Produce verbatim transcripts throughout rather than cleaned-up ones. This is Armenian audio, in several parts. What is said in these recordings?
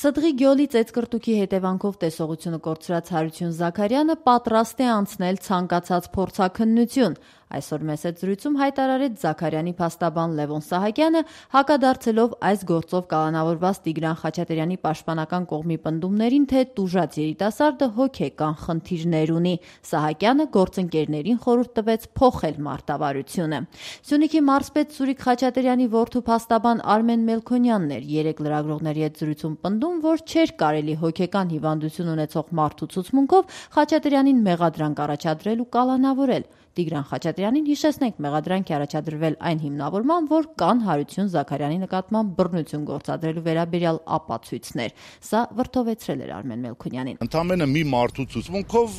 Սդղի գյոլի ծեծկրտուքի հետևանքով տեսողությունը կորցրած Հարություն Զաքարյանը պատրաստ է անցնել ցանկացած փորձաքննություն։ Այսօր մեծ զրույցում հայտարարեց Զաքարյանի փաստաբան Լևոն Սահակյանը, հակադարձելով այս գործով կալանավորված Տիգրան Խաչատրյանի պաշտպանական կողմի պնդումներին, թե տուժած երիտասարդը հոգեկան խնդիրներ ունի։ Սահակյանը գործընկերներին խորհուրդ տվեց փոխել մարտավարությունը։ Սյունիքի մարզպետ Սուրիկ Խաչատրյանի որդու փաստաբան Արմեն Մելքոնյանն էր երեք լրագրողների հետ զրույցում պնդում, որ չէր կարելի հոգեկան հիվանդություն ունեցող մարդու ցուցմունքով Խաչատրյանին մեղադրանք առաջադրել ու կալանավորել։ Տիգրան Խաչատրյանին, հիշեցնենք, մեղադրանք է առաջադրվել այն հիմնավորման, որ կան Հարություն Զաքարյանի նկատմամբ բռնություն գործադրելու վերաբերյալ ապացույցներ։ Սա վրդովեցրել էր Արմեն Մելքոնյանին։ Ընդամենը մի մարդու ցուցմունքով,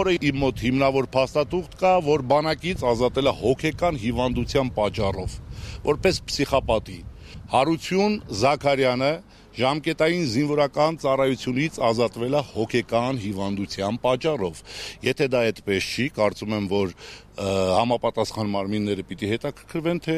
որը իմ մոտ հիմնավոր փաստաթուղթ կա, որ բանակից ազատել է հոգեկան հիվանդության պատճառով, որպես փսիխապատի։ Հարություն Զաքարյանը ժամկետային զինվորական ծառայությունից ազատվել է հոգեկան հիվանդության պատճառով։ Եթե դա այդպես չի, կարծում եմ, որ համապատասխան մարմինները պիտի հետաքրքրվեն, թե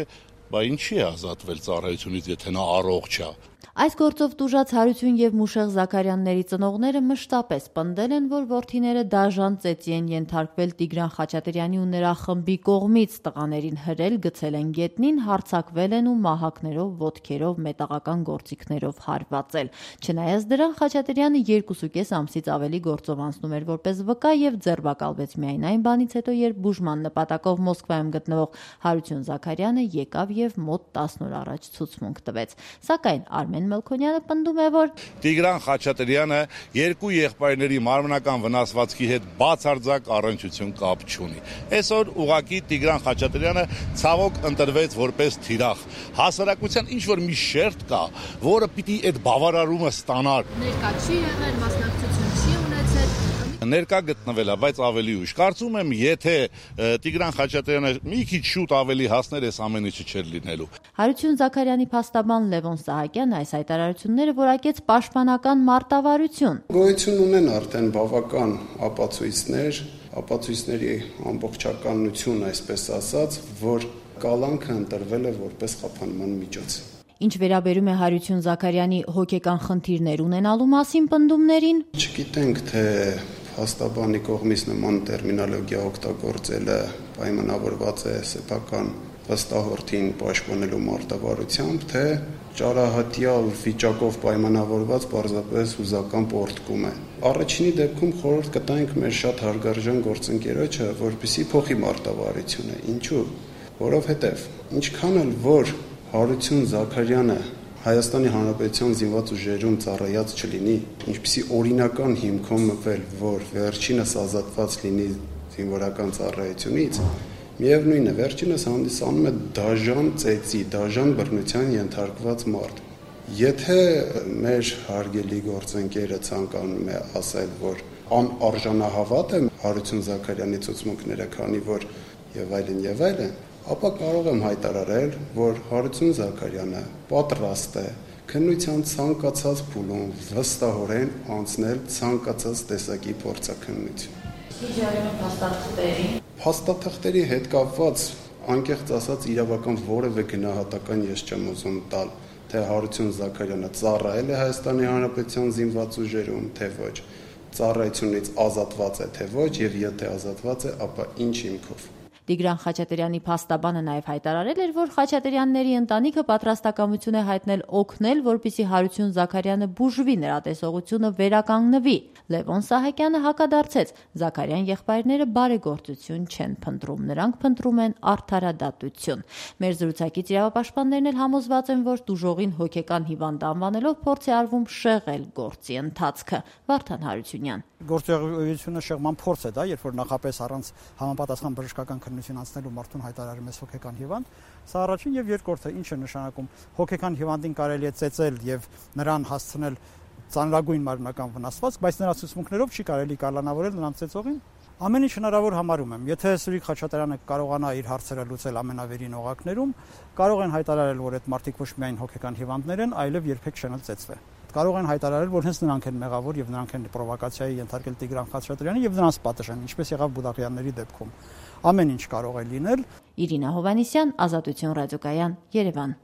բա ինչի է ազատվել ծառայությունից, եթե նա առողջ է։ Այս գործով տուժած Հարություն եւ Մուշեղ Զաքարյանների ծնողները մշտապես պնդել են, որ որդիները դաժան ծեծի են ենթարկվել Տիգրան Խաչատրյանի ու նրա խմբի կողմից, տղաներին հրել, գցել են գետնին, հարձակվել են ու մահակներով, ոտքերով, մետաղական գործիքներով հարվածել։ Չնայած դրան, Խաչատրյանը երկուսուկես ամսից ավելի գործով անցնում էր որպես վկա եւ ձերբակալվեց միայն այն բանից հետո, երբ բուժման նպատակով Մոսկվայում գտնվող Հարություն Զաքարյանը եկավ եւ մոտ տասն օր առաջ ցուցմունք տվեց։ Սակայն Արմեն Մելքոնյանը պնդում է, որ Տիգրան Խաչատրյանը երկու եղբայրների մարմնական վնասվածքի հետ բացարձակ առնչություն կապ չունի։ Այսօր ուղղակի Տիգրան Խաչատրյանը ցավոք ընտրվեց որպես թիրախ։ Հասարակության ինչ որ մի շերտ կա, որը պիտի այդ բավարարումը ստանար։ Ներկա չի եղել, մասնակցություն չի ունեցել։ Ներկա գտնվել է, բայց ավելի ուշ։ Կարծում եմ, եթե Տիգրան Խաչատրյանը մի քիչ շուտ ավելի հասներ, այս ամեն ինչը չէր լինելու։ Հարություն Զաքարյանի փաստաբան Լևոն Սահակյանը այս հայտարարությունները որակեց պաշտպանական մարտավարություն։ Գոյություն ունեն արդեն բավական ապացույցներ, ապացույցների ամբողջականություն, այսպես ասած, որ կալանքը ընտրվել է որպես խափանման միջոց։ Ինչ վերաբերում է Հարություն Զաքարյանի հոգեկան խնդիրներ ունենալու մասին պնդումներին, չգիտենք, թե փաստաբանի կողմից նման տերմինոլոգիա օգտագործելը պայմանավորված է սեփական վստահորդին պաշտպանելու մարտավարությամբ, թե ճարահատյալ վիճակով պայմանավորված պարզապես հուզական պոռթկում է։ Առաջինի դեպքում խորհուրդ կտանք մեր շատ հարգարժան գործընկերոջը, որպեսզի փոխի մարտավարությունը։ Ինչու՞։ Որովհետև ինչքան էլ որ Հարություն Զաքարյանը Հայաստանի Հանրապետության զինված ուժերում ծառայած չլինի, ինչպիսի օրինական հիմքով մտվել, որ վերջինս ազատված լինի զինվորական ծառայությունից, միևնույն է, վերջինս հանդիսանում է դաժան ծեծի, դաժան բռնության ենթարկված մարդ։ Եթե մեր հարգելի գործընկերը ցանկանում է ասել, որ անարժանահավատ է Հարություն Զաքարյանի ցուցմունքները, քանի որ եւ այլն եւ այլն, ապա կարող եմ հայտարարել, որ Հարություն Զաքարյանը պատրաստ է քննության ցանկացած փուլում վստահորեն անցնել ցանկացած տեսակի փորձաքննություն։ Փաստաթղթերի հետ կապված անկեղծ ասած իրավական որևէ գնահատական ես չեմ ուզում տալ, թե Հարություն Զաքարյանը ծառայել է Հայաստանի Հանրապետության զինված ուժերում, թե ոչ, ծառայությունից ազատված է, թե ոչ, եւ եթե ազատված է, ապա ինչ հիմքով։ Տիգրան Խաչատրյանի փաստաբանը նաև հայտարարել էր, որ Խաչատրյանների ընտանիքը պատրաստակամություն է հայտնել օգնել, որպեսզի Հարություն Զաքարյանը բուժվի, նրա տեսողությունը վերականգնվի։ Լևոն Սահակյանը հակադարձեց. Զաքարյան եղբայրները բարեգործություն չեն փնտրում, նրանք փնտրում են արդարադատություն։ Մեր զրուցակից իրավապաշտպաններն էլ համոզված են, որ տուժողին հոգեկան հիվանդ անվանելով փորձ է արվում շեղել գործի ընթացքը։ Վարդան Հարությունյան։ Գործողությունը շեղման փորձ է դա, երբ որ նախապես առանց համապատասխան բժշկական քննություն անցնելու մարդուն հայտարարում է հոգեկան հիվանդ, սա առաջին եւ երկրորդը ինչ է նշանակում հոգեկան հիվանդին կարելի է ծեծել եւ նրան հասցնել ծանրագույն մարմնական վնասվածք, բայց նրա ցուցմունքներով չի կարելի կալանավորել նրան ծեծողին։ Ամեն ինչ հնարավոր համարում եմ։ Եթե Սուրիկ Խաչատրյանը կարողանա իր հարցերը լուծել ամենավերին օղակներում, կարող են հայտարարել, որ այդ մարդիկ ոչ միայն հոգեկան հիվանդներ են, այլև երբեք չեն ծեծվել։ Կարող են հայտարարել, որ հենց նրանք են մեղավոր եւ նրանք են պրովոկացիայի ենթարկել Տիգրան Խաչատրյանին եւ նրանց պատժեն, ինչպես եղավ Բուդաղյանների դեպքում։ Ամեն ինչ կարող է լինել։ Իրինա Հովհաննիսյան, Ազատություն ռադիոկայան, Երևան։